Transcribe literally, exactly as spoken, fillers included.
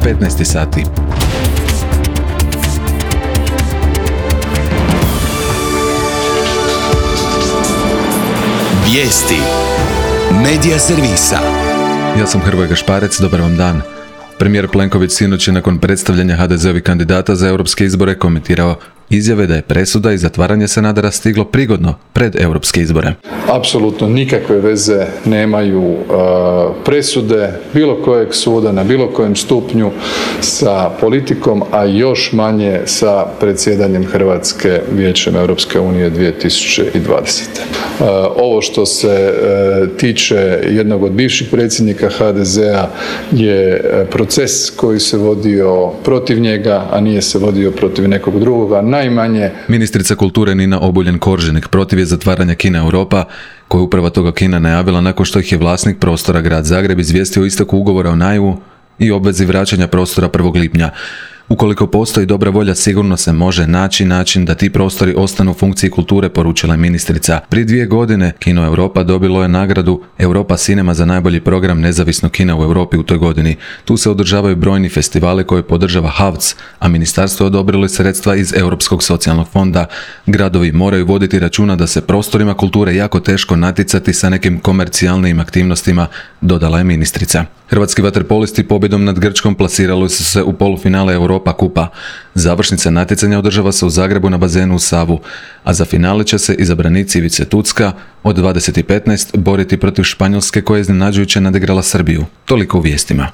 petnaest sati. Vijesti Medija servisa. Ja sam Hrvoje Gašparec, dobar vam dan. Premijer Plenković sinoć je nakon predstavljanja ha de zeovih kandidata za europske izbore komentirao izjave da je presuda i zatvaranje Sanadera stiglo prigodno pred europske izbore. Apsolutno nikakve veze nemaju uh, presude bilo kojeg suda na bilo kojem stupnju sa politikom, a još manje sa predsjedanjem Hrvatske Vijećem Europske unije dvije tisuće dvadesete. Uh, ovo što se uh, tiče jednog od bivših predsjednika ha de zea je proces koji se vodio protiv njega, a nije se vodio protiv nekog drugoga. Najmanje. Ministrica kulture Nina Obuljen-Koržinek protiv je zatvaranja Kina Europa, koju uprava toga Kina najavila nakon što ih je vlasnik prostora Grad Zagreb izvijestio o isteku ugovora o najmu i obvezi vraćanja prostora prvog lipnja. Ukoliko postoji dobra volja, sigurno se može naći način da ti prostori ostanu u funkciji kulture, poručila je ministrica. Prije dvije godine Kino Europa dobilo je nagradu Europa Cinema za najbolji program nezavisnog kina u Europi u toj godini. Tu se održavaju brojni festivali koje podržava ha ve ce, a ministarstvo je odobrilo sredstva iz Europskog socijalnog fonda. Gradovi moraju voditi računa da se prostorima kulture jako teško natjecati sa nekim komercijalnim aktivnostima, dodala je ministrica. Hrvatski vaterpolisti pobjedom nad Grčkom plasirali su se u polufinale Europa kupa. Završnica natjecanja održava se u Zagrebu na bazenu u Savu, a za finale će se izabranici Ivice Tucka od dvadeset petnaest boriti protiv Španjolske koja je iznenađujuće nadigrala Srbiju. Toliko u vijestima.